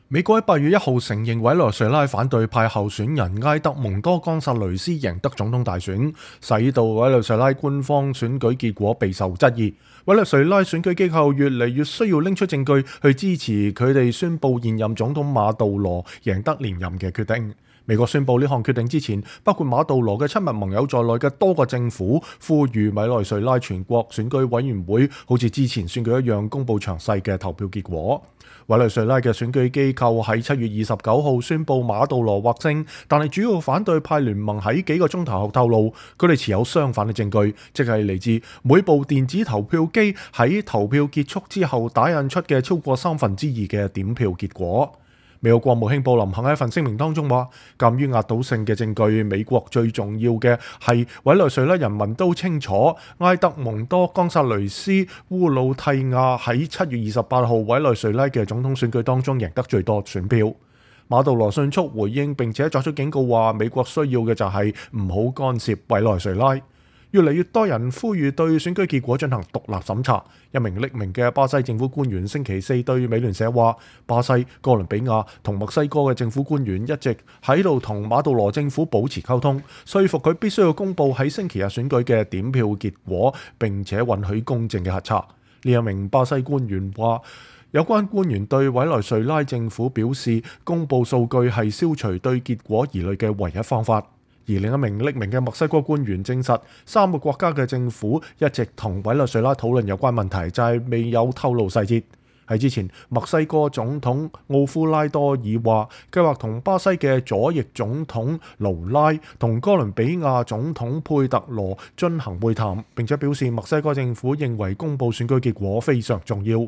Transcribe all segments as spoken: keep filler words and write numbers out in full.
美國喺八月一號承認委內瑞拉反對派候選人埃德蒙多·岡薩雷斯贏得總統大選，使到委內瑞拉官方選舉結果備受質疑。委內瑞拉選舉機構越嚟越需要拎出證據去支持佢哋宣布現任總統馬杜羅贏得連任嘅決定。美國宣布呢項決定之前，包括馬杜羅嘅親密盟友在內嘅多個政府呼籲委內瑞拉全國選舉委員會好似之前選舉一樣公佈詳細嘅投票結果。委內瑞拉嘅選舉機構喺七月二十九號宣布馬杜羅獲勝，但係主要反對派聯盟喺幾個鐘頭後透露，佢哋持有相反嘅證據，即係嚟自每部電子投票機喺投票結束之後打印出嘅超過三分之二嘅點票結果。美國國務卿布林肯喺一份聲明當中話，鑑於壓倒性嘅證據，美國最重要嘅係委內瑞拉人民都清楚，埃德蒙多·岡薩雷斯·烏魯蒂亞喺七月二十八號委內瑞拉嘅總統選舉當中贏得最多選票。馬杜羅迅速回應並且作出警告話，美國需要嘅就係唔好干涉委內瑞拉。越嚟越多人呼籲對選舉結果進行獨立審查。一名匿名嘅巴西政府官員星期四對美聯社話，巴西、哥倫比亞同墨西哥嘅政府官員一直喺度同馬杜羅政府保持溝通，說服佢必須要公佈喺星期日選舉嘅點票結果，並且允許公正嘅核查。呢一名巴西官員話，有關官員對委內瑞拉政府表示，公佈數據係消除對結果疑慮嘅唯一方法。而另一名匿名嘅墨西哥官員證實，三個國家嘅政府一直同委內瑞拉討論有關問題，就係未有透露細節。喺之前，墨西哥總統奧夫拉多爾話，計劃同巴西嘅左翼總統盧拉同哥倫比亞總統佩特羅進行會談，並且表示墨西哥政府認為公佈選舉結果非常重要。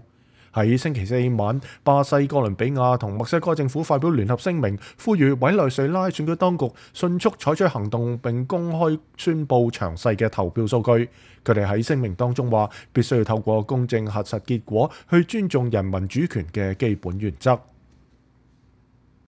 喺星期四晚，巴西、哥倫比亞同墨西哥政府發表聯合聲明，呼籲委內瑞拉選舉當局迅速採取行動並公開宣佈詳細嘅投票數據。佢哋喺聲明當中話，必須要透過公正核實結果，去尊重人民主權嘅基本原則。